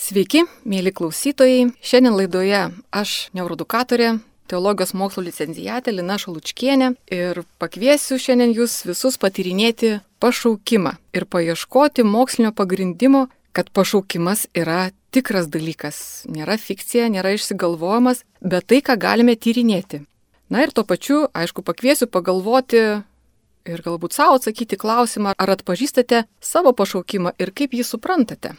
Sveiki, mėly klausytojai. Šiandien laidoje aš, neuroedukatorė, teologijos mokslo licenciatė Lina Šalučkienė ir pakviesiu šiandien jūs visus patyrinėti pašaukimą ir paieškoti mokslinio pagrindimo, kad pašaukimas yra tikras dalykas, nėra fikcija, nėra išsigalvojimas, bet tai, ką galime tyrinėti. Na ir tuo pačiu, aišku, pakviesiu pagalvoti ir galbūt savo atsakyti klausimą, ar atpažįstate savo pašaukimą ir kaip jį suprantate.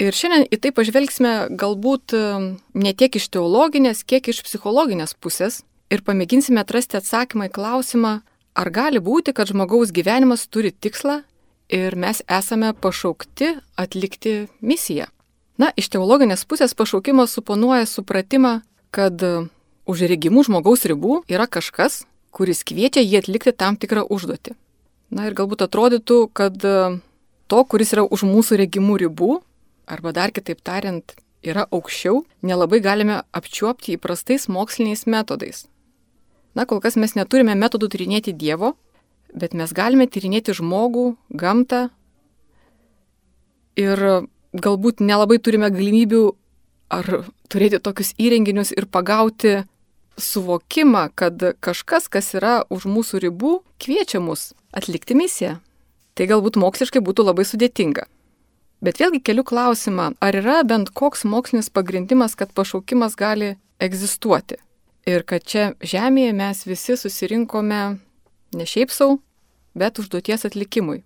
Ir šiandien į tai pažvelgsime galbūt ne tiek iš teologinės, kiek iš psichologinės pusės ir pamėginsime atrasti atsakymą į klausimą, ar gali būti, kad žmogaus gyvenimas turi tikslą ir mes esame pašaukti atlikti misiją. Na, iš teologinės pusės pašaukimas suponuoja supratimą, kad už regimų žmogaus ribų yra kažkas, kuris kviečia jį atlikti tam tikrą užduotį. Na ir galbūt atrodytų, kad to, kuris yra už mūsų regimų ribų, arba dar kitaip tariant, yra aukščiau, nelabai galime apčiuopti įprastais moksliniais metodais. Na, kol kas mes neturime metodų tyrinėti Dievo, bet mes galime tyrinėti žmogų, gamtą ir galbūt nelabai turime galimybių ar turėti tokius įrenginius ir pagauti suvokimą, kad kažkas, kas yra už mūsų ribų, kviečia mus atlikti misiją. Tai galbūt moksliškai būtų labai sudėtinga. Bet vėlgi keliu klausimą, ar yra bent koks mokslinis pagrindimas, kad pašaukimas gali egzistuoti. Ir kad čia žemėje mes visi susirinkome ne šiaip sau, bet užduoties atlikimui.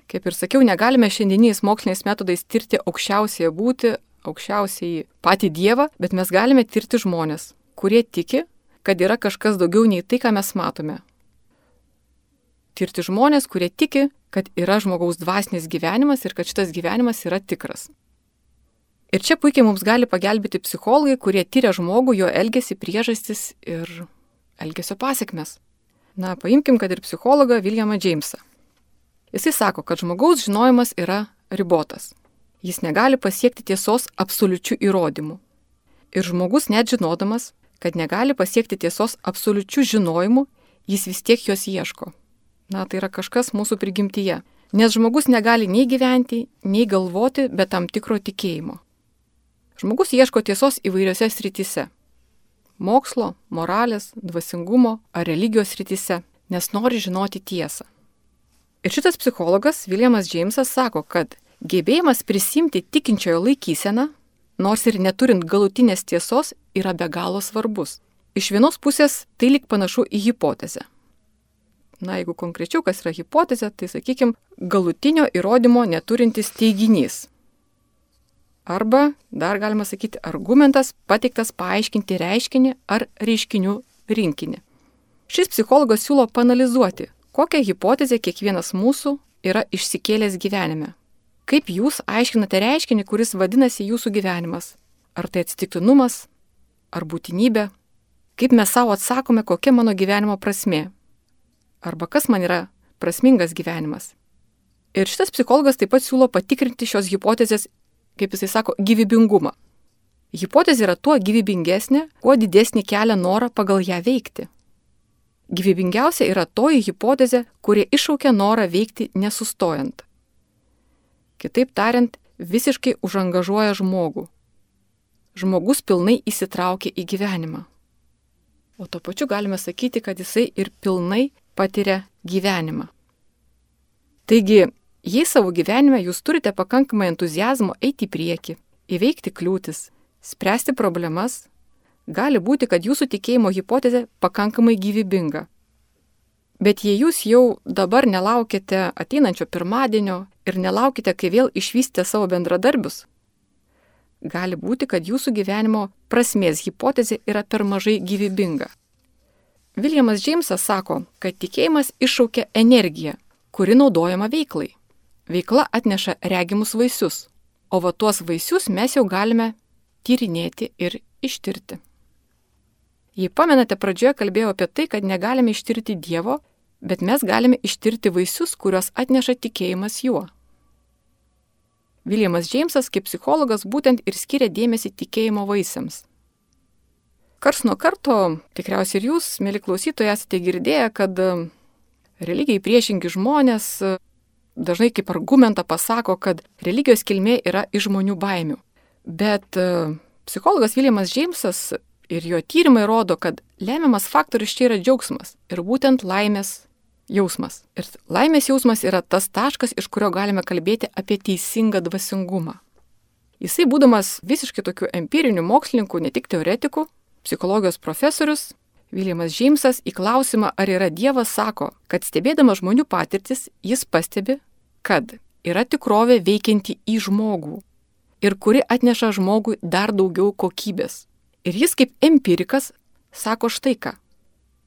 Kaip ir sakiau, negalime šiandieniais moksliniais metodais tirti aukščiausiąją būtį, aukščiausiai patį Dievą, bet mes galime tirti žmonės, kurie tiki, kad yra kažkas daugiau nei tai, ką mes matome. Tirti žmonės, kurie tiki, kad yra žmogaus dvasinis gyvenimas ir kad šitas gyvenimas yra tikras. Ir čia puikiai mums gali pagelbėti psichologai, kurie tyria žmogų, jo elgesį, priežastis ir elgesio pasekmes. Na, paimkim, kad ir psichologą Williamą Jamesą. Jisai sako, kad žmogaus žinojimas yra ribotas. Jis negali pasiekti tiesos absoliučių įrodymų. Ir žmogus net žinodamas, kad negali pasiekti tiesos absoliučių žinojimų, jis vis tiek jos ieško. Na, tai yra kažkas mūsų prigimtyje. Nes žmogus negali nei gyventi, nei galvoti be tam tikro tikėjimo. Žmogus ieško tiesos įvairiose srityse. Mokslo, moralės, dvasingumo ar religijos srityse, nes nori žinoti tiesą. Ir šitas psichologas Williamas Jamesas sako, kad gebėjimas prisimti tikinčiojo laikyseną, nors ir neturint galutinės tiesos, yra be galo svarbus. Iš vienos pusės tai lyg panašu į hipotezę. Na, jeigu konkrečiau, kas yra hipotezė, tai, sakykime, galutinio įrodymo neturintis teiginys. Arba, dar galima sakyti, argumentas pateiktas paaiškinti reiškinį ar reiškinių rinkinį. Šis psichologas siūlo paanalizuoti, kokią hipotezę kiekvienas mūsų yra išsikėlęs gyvenime. Kaip jūs aiškinate reiškinį, kuris vadinasi jūsų gyvenimas? Ar tai atsitiktinumas? Ar būtinybė? Kaip mes savo atsakome, kokia mano gyvenimo prasmė? Arba kas man yra prasmingas gyvenimas. Ir šitas psichologas taip pat siūlo patikrinti šios hipotezės, kaip jisai sako, gyvybingumą. Hipotezė yra tuo gyvybingesnė, kuo didesnį kelia norą pagal ją veikti. Gyvybingiausia yra toji hipotezė, kuri iššaukia norą veikti nesustojant. Kitaip tariant, visiškai užangažuoja žmogų. Žmogus pilnai įsitraukia į gyvenimą. O tuo pačiu galime sakyti, kad jisai ir pilnai patiria gyvenimą. Taigi, jei savo gyvenime jūs turite pakankamai entuziazmo eiti į priekį, įveikti kliūtis, spręsti problemas, gali būti, kad jūsų tikėjimo hipotezė pakankamai gyvybinga. Bet jei jūs jau dabar nelaukite ateinančio pirmadienio ir nelaukite, kai vėl išvysite savo bendradarbius, gali būti, kad jūsų gyvenimo prasmės hipotezė yra per mažai gyvybinga. Williamas Jamesas sako, kad tikėjimas iššaukia energiją, kuri naudojama veiklai. Veikla atneša regimus vaisius, o va tuos vaisius mes jau galime tyrinėti ir ištirti. Jei pamenate, pradžioje kalbėjau apie tai, kad negalime ištirti Dievo, bet mes galime ištirti vaisius, kuriuos atneša tikėjimas juo. Williamas Jamesas kaip psichologas būtent ir skiria dėmesį tikėjimo vaisiams. Kars nuo karto, tikriausiai ir jūs, mėly klausytojai, esate girdėję, kad religijai priešingi žmonės dažnai kaip argumentą pasako, kad religijos kilmė yra iš žmonių baimių. Bet psichologas Williamas Jamesas ir jo tyrimai rodo, kad lemiamas faktorius čia yra džiaugsmas ir būtent laimės jausmas. Ir laimės jausmas yra tas taškas, iš kurio galime kalbėti apie teisingą dvasingumą. Jisai, būdamas visiškai tokių empirinių mokslininkų, ne tik teoretikų, psichologijos profesorius, Williamas Jamesas į klausimą, ar yra Dievas, sako, kad stebėdamas žmonių patirtis, jis pastebi, kad yra tikrovė veikianti į žmogų ir kuri atneša žmogui dar daugiau kokybės. Ir jis kaip empirikas sako štai ką.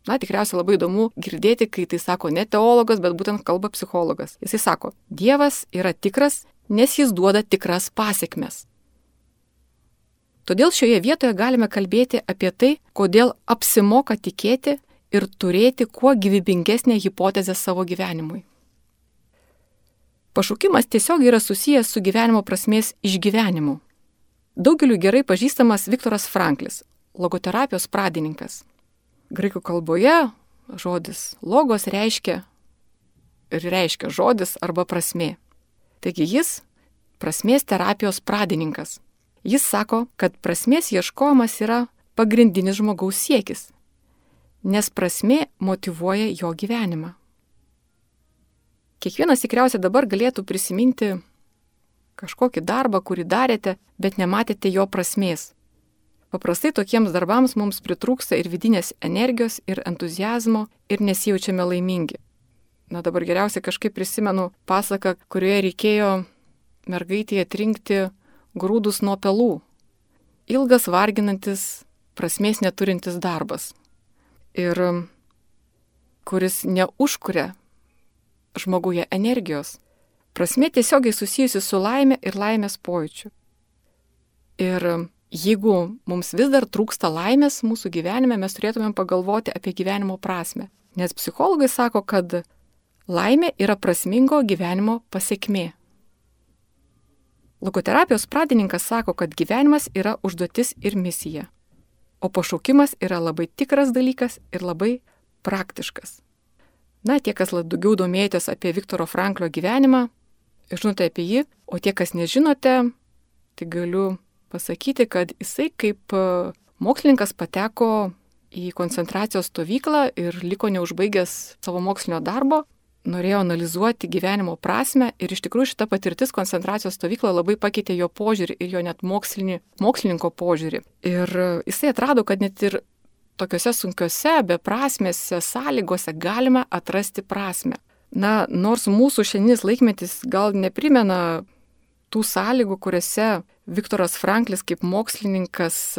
Na, tikriausiai labai įdomu girdėti, kai tai sako ne teologas, bet būtent kalba psichologas. Jisai sako, Dievas yra tikras, nes jis duoda tikras pasekmes. Todėl šioje vietoje galime kalbėti apie tai, kodėl apsimoka tikėti ir turėti kuo gyvybingesnę hipotezę savo gyvenimui. Pašaukimas tiesiog yra susijęs su gyvenimo prasmės išgyvenimu. Daugeliu gerai pažįstamas Viktoras Franklis, logoterapijos pradininkas. Graikų kalboje žodis logos reiškia žodis arba prasmė. Taigi jis prasmės terapijos pradininkas. Jis sako, kad prasmės ieškojimas yra pagrindinis žmogaus siekis, nes prasmė motyvuoja jo gyvenimą. Kiekvienas tikriausiai dabar galėtų prisiminti kažkokį darbą, kurį darėte, bet nematėte jo prasmės. Paprastai tokiems darbams mums pritrūksta ir vidinės energijos, ir entuzijazmo, ir nesijaučiame laimingi. Na dabar geriausiai kažkaip prisimenu pasaką, kurioje reikėjo mergaitėje atrinkti grūdus nuo pelų. Ilgas, varginantis, prasmės neturintis darbas. Ir kuris neužkuria žmoguje energijos. Prasmė tiesiogiai susijusi su laime ir laimės pojūčiu. Ir jeigu mums vis dar trūksta laimės mūsų gyvenime, mes turėtumėm pagalvoti apie gyvenimo prasmę. Nes psichologai sako, kad laimė yra prasmingo gyvenimo pasekmė. Logoterapijos pradininkas sako, kad gyvenimas yra užduotis ir misija, o pašaukimas yra labai tikras dalykas ir labai praktiškas. Na, tie, kas daugiau domėjotės apie Viktoro Franklio gyvenimą, žinote apie jį, o tie, kas nežinote, tai galiu pasakyti, kad jisai kaip mokslininkas pateko į koncentracijos stovyklą ir liko neužbaigęs savo mokslinio darbo, norėjo analizuoti gyvenimo prasmę ir iš tikrųjų šita patirtis koncentracijos stovykloje labai pakeitė jo požiūrį ir jo net mokslininko požiūrį. Ir jisai atrado, kad net ir tokiuose sunkiuose, beprasmėse sąlygose galima atrasti prasmę. Na, nors mūsų šiandienis laikmetis gal neprimena tų sąlygų, kuriuose Viktoras Franklis kaip mokslininkas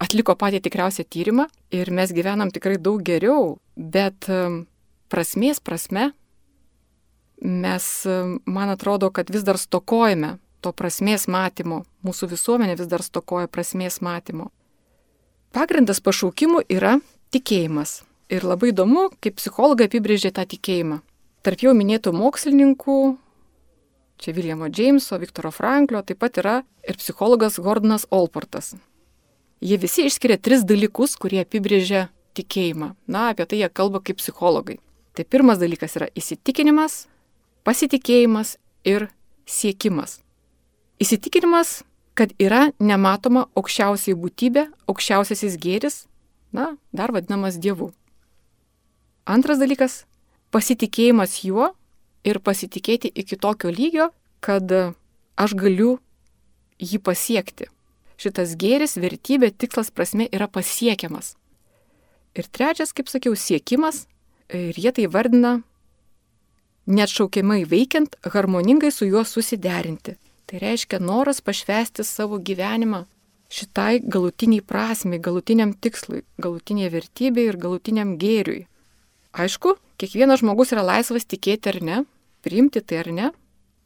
atliko patį tikriausią tyrimą ir mes gyvenam tikrai daug geriau, bet prasmės prasme mes, man atrodo, kad vis dar stokojame to prasmės matymo, mūsų visuomenė vis dar stokoja prasmės matymo. Pagrindas pašaukimų yra tikėjimas. Ir labai įdomu, kaip psichologai apibrėžė tą tikėjimą. Tarp jau minėtų mokslininkų, čia Williamo Jameso, Viktoro Franklio, taip pat yra ir psichologas Gordonas Allportas. Jie visi išskiria 3 dalykus, kurie apibrėžia tikėjimą. Na, apie tai jie kalba kaip psichologai. Tai pirmas dalykas yra įsitikinimas, pasitikėjimas ir siekimas. Įsitikinimas, kad yra nematoma aukščiausiai būtybė, aukščiausiasis gėris, na, dar vadinamas Dievu. Antras dalykas - pasitikėjimas juo ir pasitikėti iki tokio lygio, kad aš galiu jį pasiekti. Šitas gėris, vertybė, tikslas, prasmė yra pasiekiamas. Ir trečias, kaip sakiau, siekimas, ir jie tai vardina neatšaukiamai veikiant, harmoningai su juo susiderinti. Tai reiškia noras pašvęsti savo gyvenimą šitai galutiniai prasmei, galutiniam tikslui, galutiniai vertybei ir galutiniam gėriui. Aišku, kiekvienas žmogus yra laisvas tikėti ar ne, priimti tai ar ne,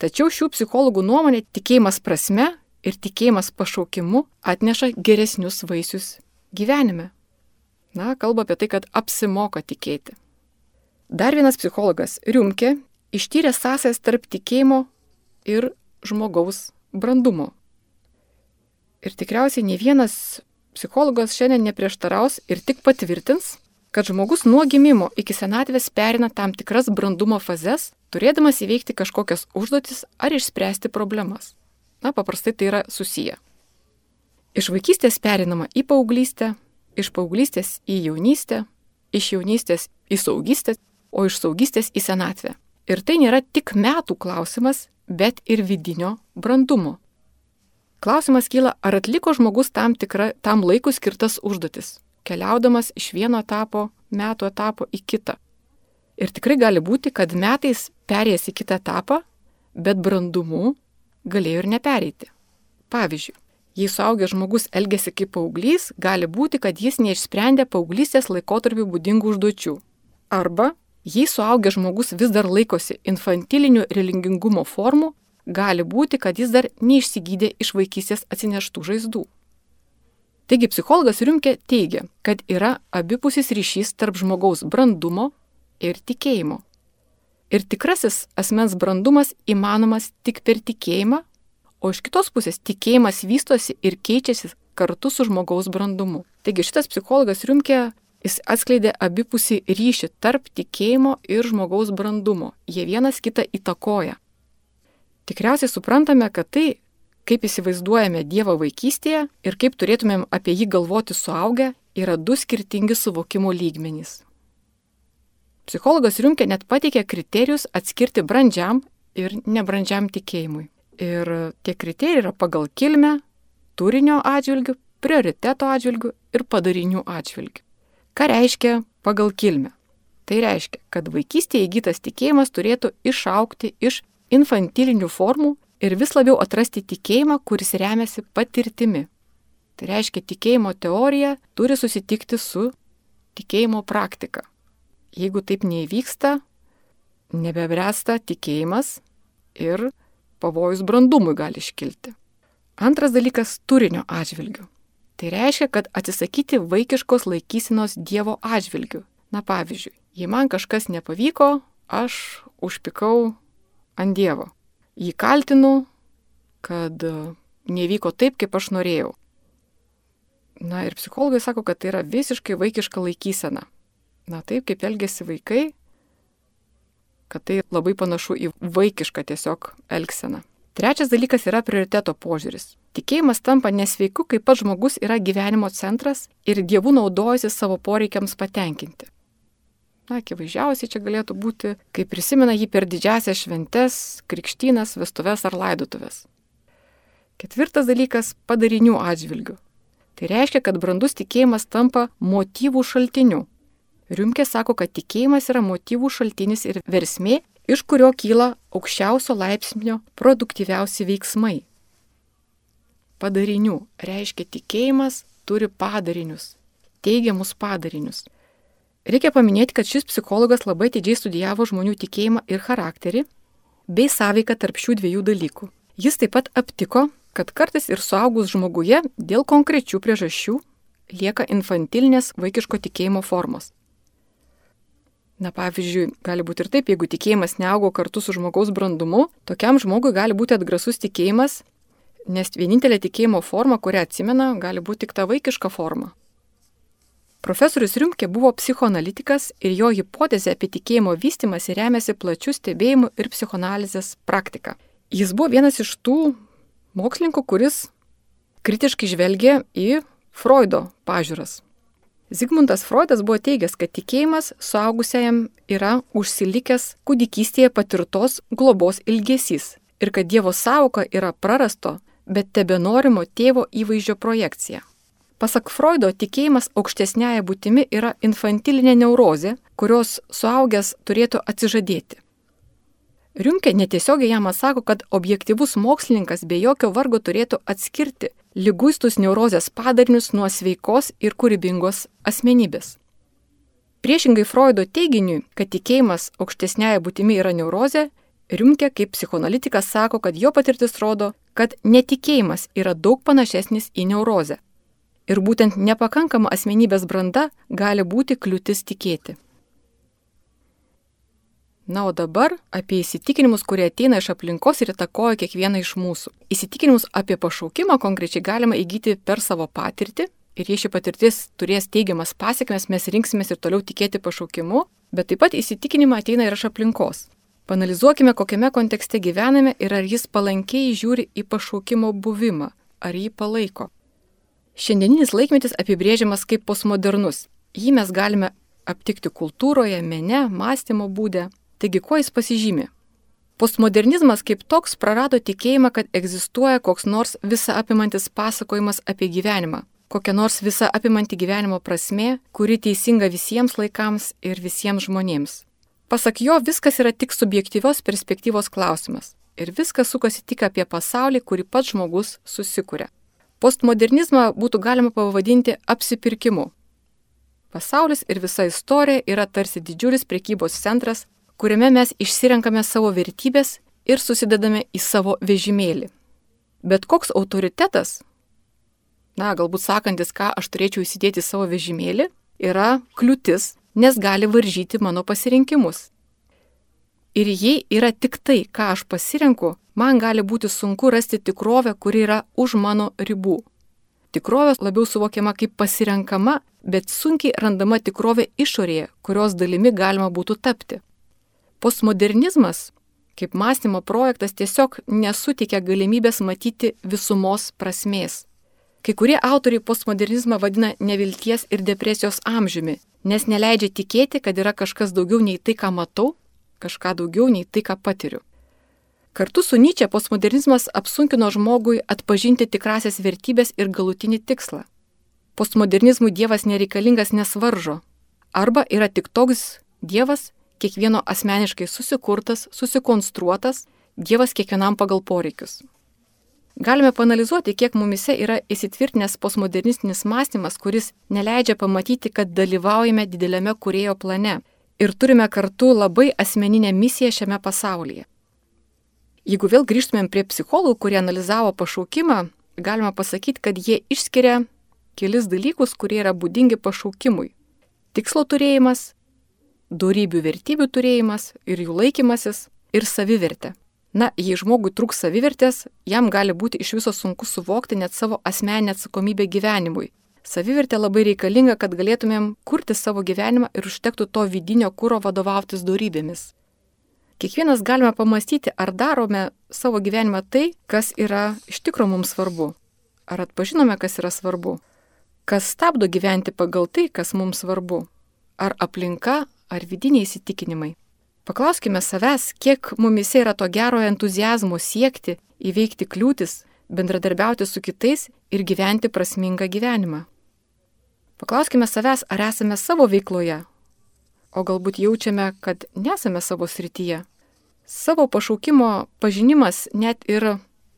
tačiau šių psichologų nuomonė tikėjimas prasme ir tikėjimas pašaukimu atneša geresnius vaisius gyvenime. Na, kalba apie tai, kad apsimoka tikėti. Dar vienas psichologas, Riumke, ištyrė sąsajas tarp tikėjimo ir žmogaus brandumo. Ir tikriausiai ne vienas psichologas šiandien neprieštaraus ir tik patvirtins, kad žmogus nuo gimimo iki senatvės perina tam tikras brandumo fazes, turėdamas įveikti kažkokias užduotis ar išspręsti problemas. Paprastai tai yra susiję. Iš vaikystės perinama į paauglystę, iš paauglystės į jaunystę, iš jaunystės į saugystę, o iš saugystės į senatvę. Ir tai nėra tik metų klausimas, bet ir vidinio brandumo. Klausimas kyla, ar atliko žmogus tam laikui skirtas užduotis, keliaudamas iš vieno metų etapo į kitą. Ir tikrai gali būti, kad metais perėjęs į kitą etapą, bet brandumu galėjo ir nepereiti. Pavyzdžiui, jei suaugęs žmogus elgiasi kaip paauglys, gali būti, kad jis neišsprendė paauglystės laikotarpiu būdingų užduočių. Arba, jei suaugęs žmogus vis dar laikosi infantilinių religingumo formų, gali būti, kad jis dar neišsigydė iš vaikystės atsineštų žaizdų. Taigi psichologas Riumke teigia, kad yra abipusis ryšys tarp žmogaus brandumo ir tikėjimo. Ir tikrasis asmens brandumas įmanomas tik per tikėjimą, o iš kitos pusės tikėjimas vystosi ir keičiasi kartu su žmogaus brandumu. Taigi šitas psichologas Riumke, jis atskleidė abipusį ryšį tarp tikėjimo ir žmogaus brandumo. Jie vienas kitą įtakoja. Tikriausiai suprantame, kad tai, kaip įsivaizduojame Dievą vaikystėje ir kaip turėtumėm apie jį galvoti suaugę, yra du skirtingi suvokimo lygmenys. Psichologas Riumke net pateikė kriterijus atskirti brandžiam ir nebrandžiam tikėjimui. Ir tie kriterijai yra pagal kilmę, turinio atžvilgių, prioriteto atžvilgių ir padarinių atžvilgių. Ką reiškia pagal kilmę? Tai reiškia, kad vaikystėje įgytas tikėjimas turėtų išaugti iš infantilinių formų ir vis labiau atrasti tikėjimą, kuris remiasi patirtimi. Tai reiškia, tikėjimo teorija turi susitikti su tikėjimo praktika. Jeigu taip neįvyksta, nebebręsta tikėjimas ir pavojus brandumui gali iškilti. Antras dalykas - turinio atžvilgių. Tai reiškia, kad atsisakyti vaikiškos laikysenos Dievo atžvilgių. Pavyzdžiui, jei man kažkas nepavyko, aš užpykau ant Dievo. Jį kaltinu, kad nevyko taip, kaip aš norėjau. Ir psichologai sako, kad tai yra visiškai vaikiška laikysena. Taip, kaip elgiasi vaikai, kad tai labai panašu į vaikišką tiesiog elgseną. Trečias dalykas yra prioriteto požiūris. Tikėjimas tampa nesveiku, kai pats žmogus yra gyvenimo centras ir Dievu naudojasi savo poreikiams patenkinti. Akivaizdžiausiai čia galėtų būti, kai prisimena jį per didžiasias šventes, krikštynas, vestuves ar laidotuvės. Ketvirtas dalykas - padarinių atžvilgių. Tai reiškia, kad brandus tikėjimas tampa motyvų šaltiniu. Riumke sako, kad tikėjimas yra motyvų šaltinis ir versmė, iš kurio kyla aukščiausio laipsnio produktyviausi veiksmai. Padarinių reiškia, tikėjimas turi padarinius, teigiamus padarinius. Reikia paminėti, kad šis psichologas labai atidžiai studijavo žmonių tikėjimą ir charakterį, bei sąveiką tarp šių dviejų dalykų. Jis taip pat aptiko, kad kartais ir suaugus žmoguje dėl konkrečių priežasčių lieka infantilinės vaikiško tikėjimo formos. Pavyzdžiui, gali būti ir taip, jeigu tikėjimas neaugo kartu su žmogaus brandumu, tokiam žmogui gali būti atgrasus tikėjimas, nes vienintelė tikėjimo forma, kurią atsimena, gali būti tik ta vaikiška forma. Profesorius Riumke buvo psichoanalitikas ir jo hipotezė apie tikėjimo vystymąsi remiasi plačių stebėjimų ir psichoanalizės praktika. Jis buvo vienas iš tų mokslininkų, kuris kritiškai žvelgė į Freudo pažiūras. Zigmundas Freudas buvo teigęs, kad tikėjimas suaugusiajam yra užsilikęs kūdikystėje patirtos globos ilgesys ir kad Dievo sąvoka yra prarasto, bet tebenorimo tėvo įvaizdžio projekcija. Pasak Freudo, tikėjimas aukštesniaja būtimi yra infantilinė neurozė, kurios suaugęs turėtų atsižadėti. Riumke netiesiogiai jam atsako, kad objektyvus mokslininkas be jokio vargo turėtų atskirti liguistus neurozės padarinius nuo sveikos ir kūrybingos asmenybės. Priešingai Freudo teiginiui, kad tikėjimas aukštesniaja būtimi yra neurozė, Riumke kaip psichoanalitikas sako, kad jo patirtis rodo, kad netikėjimas yra daug panašesnis į neurozę. Ir būtent nepakankama asmenybės branda gali būti kliūtis tikėti. O dabar apie įsitikinimus, kurie ateina iš aplinkos ir įtakoja kiekvieną iš mūsų. Įsitikinimus apie pašaukimą konkrečiai galima įgyti per savo patirtį ir jei ši patirtis turės teigiamas pasekmes, mes rinksimės ir toliau tikėti pašaukimu, bet taip pat įsitikinimą ateina ir iš aplinkos. Panalizuokime, kokiame kontekste gyvename ir ar jis palankiai žiūri į pašaukimo buvimą, ar jį palaiko. Šiandieninis laikmetis apibrėžiamas kaip postmodernus. Jį mes galime aptikti kultūroje, mene, mąstymo būde. Taigi, kuo jis pasižymi? Postmodernizmas kaip toks prarado tikėjimą, kad egzistuoja koks nors visa apimantis pasakojimas apie gyvenimą, kokia nors visa apimanti gyvenimo prasmė, kuri teisinga visiems laikams ir visiems žmonėms. Pasak jo, viskas yra tik subjektyvios perspektyvos klausimas ir viskas sukasi tik apie pasaulį, kurį pats žmogus susikuria. Postmodernizmą būtų galima pavadinti apsipirkimu. Pasaulis ir visa istorija yra tarsi didžiulis prekybos centras, kuriame mes išsirenkame savo vertybės ir susidedame į savo vežimėlį. Bet koks autoritetas, galbūt sakantis, ką aš turėčiau įsidėti į savo vežimėlį, yra kliūtis, nes gali varžyti mano pasirinkimus. Ir jei yra tik tai, ką aš pasirenku, man gali būti sunku rasti tikrovę, kuri yra už mano ribų. Tikrovė labiau suvokiama kaip pasirenkama, bet sunkiai randama tikrovė išorėje, kurios dalimi galima būtų tapti. Postmodernizmas, kaip mąstymo projektas, tiesiog nesuteikia galimybės matyti visumos prasmės. Kai kurie autoriai postmodernizmą vadina nevilties ir depresijos amžiumi, nes neleidžia tikėti, kad yra kažkas daugiau nei tai, ką matau, kažką daugiau nei tai, ką patiriu. Kartu su Nyče postmodernizmas apsunkino žmogui atpažinti tikrasias vertybės ir galutinį tikslą. Postmodernizmui Dievas nereikalingas, nes varžo. Arba yra tik toks Dievas, kiekvieno asmeniškai susikurtas, susikonstruotas, Dievas kiekvienam pagal poreikius. Galime paanalizuoti, kiek mumise yra įsitvirtinęs postmodernistinis mąstymas, kuris neleidžia pamatyti, kad dalyvaujame dideliame kūrėjo plane ir turime kartu labai asmeninę misiją šiame pasaulyje. Jeigu vėl grįžtumėm prie psichologų, kurie analizavo pašaukimą, galima pasakyti, kad jie išskiria kelis dalykus, kurie yra būdingi pašaukimui. Tikslo turėjimas, dorybių vertybių turėjimas ir jų laikymasis ir savivertė. Jei žmogui trūks savivertės, jam gali būti iš viso sunku suvokti net savo asmeninę atsakomybę gyvenimui. Savivertė labai reikalinga, kad galėtumėm kurti savo gyvenimą ir užtektų to vidinio kuro vadovautis dorybėmis. Kiekvienas galime pamastyti, ar darome savo gyvenimą tai, kas yra iš tikro mums svarbu. Ar atpažinome, kas yra svarbu. Kas stabdo gyventi pagal tai, kas mums svarbu. Ar aplinka, ar vidiniai įsitikinimai. Paklauskime savęs, kiek mumise yra to gero entuziazmo siekti, įveikti kliūtis, bendradarbiauti su kitais ir gyventi prasmingą gyvenimą. Paklauskime savęs, ar esame savo veikloje, o galbūt jaučiame, kad nesame savo srityje. Savo pašaukimo pažinimas net ir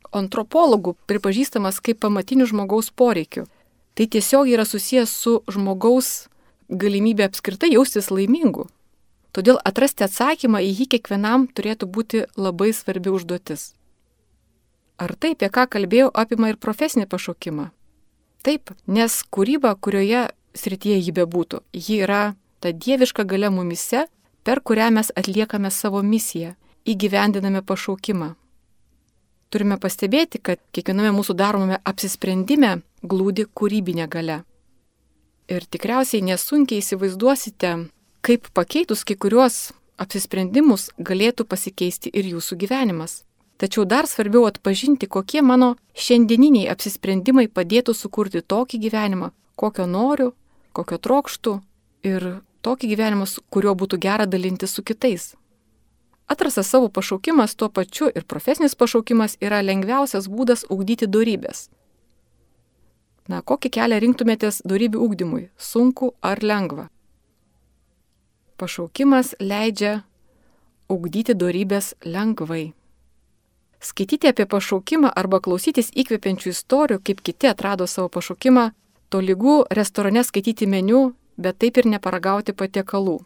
antropologų pripažįstamas kaip pamatinių žmogaus poreikių. Tai tiesiog yra susijęs su žmogaus galimybė apskritai jaustis laimingu. Todėl atrasti atsakymą į jį kiekvienam turėtų būti labai svarbi užduotis. Ar tai, apie ką kalbėjau, apima ir profesinį pašaukimą? Taip, nes kūryba, kurioje srityje jį bebūtų, ji yra ta dieviška galia mumise, per kurią mes atliekame savo misiją, įgyvendiname pašaukimą. Turime pastebėti, kad kiekviename mūsų daromame apsisprendime glūdi kūrybinė galia. Ir tikriausiai nesunkiai įsivaizduosite, kaip pakeitus kai kuriuos apsisprendimus galėtų pasikeisti ir jūsų gyvenimas. Tačiau dar svarbiau atpažinti, kokie mano šiandieniniai apsisprendimai padėtų sukurti tokį gyvenimą, kokio noriu, kokio trokštų ir tokį gyvenimą, kuriuo būtų gera dalintis su kitais. Atrastas savo pašaukimas tuo pačiu ir profesinis pašaukimas yra lengviausias būdas ugdyti dorybės. Kokį kelią rinktumėtės dorybių ugdymui, sunku ar lengva? Pašaukimas leidžia ugdyti dorybės lengvai. Skaityti apie pašaukimą arba klausytis įkvepiančių istorijų, kaip kiti atrado savo pašaukimą, tolygu restorane skaityti meniu, bet taip ir neparagauti patiekalų.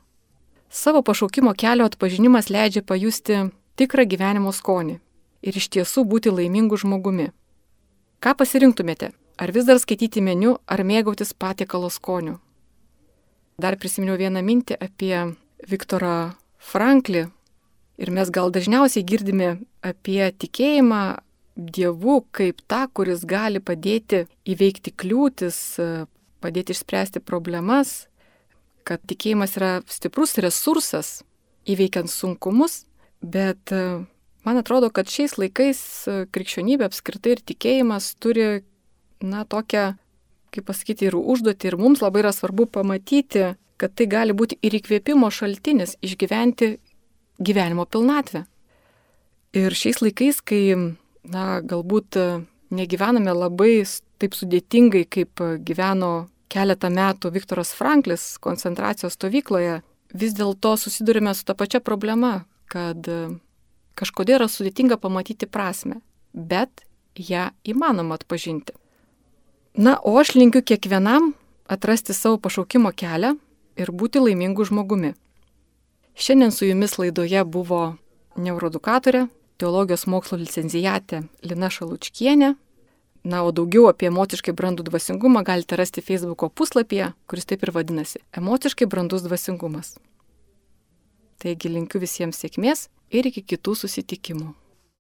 Savo pašaukimo kelio atpažinimas leidžia pajusti tikrą gyvenimo skonį ir iš tiesų būti laimingu žmogumi. Ką pasirinktumėte? Ar vis dar skaityti meniu, ar mėgautis patiekalo skoniu? Dar prisiminiau vieną mintį apie Viktorą Franklį ir mes gal dažniausiai girdime apie tikėjimą Dievu kaip tą, kuris gali padėti įveikti kliūtis, padėti išspręsti problemas, kad tikėjimas yra stiprus resursas įveikiant sunkumus, bet man atrodo, kad šiais laikais krikščionybė apskritai ir tikėjimas turi, tokią, kaip pasakyti, ir užduotį, ir mums labai yra svarbu pamatyti, kad tai gali būti ir įkvėpimo šaltinis išgyventi gyvenimo pilnatvę. Ir šiais laikais, kai, galbūt negyvename labai taip sudėtingai, kaip gyveno keletą metų Viktoras Franklis koncentracijos stovykloje, vis dėlto susidurime su ta pačia problema, kad kažkodėl yra sudėtinga pamatyti prasmę, bet ją įmanoma atpažinti. O aš linkiu kiekvienam atrasti savo pašaukimo kelią ir būti laimingu žmogumi. Šiandien su jumis laidoje buvo neuroedukatorė, teologijos mokslo licenciatė Lina Šalučkienė. O daugiau apie emociškai brandų dvasingumą galite rasti Facebooko puslapyje, kuris taip ir vadinasi – Emociškai brandus dvasingumas. Taigi linkiu visiems sėkmės ir iki kitų susitikimų.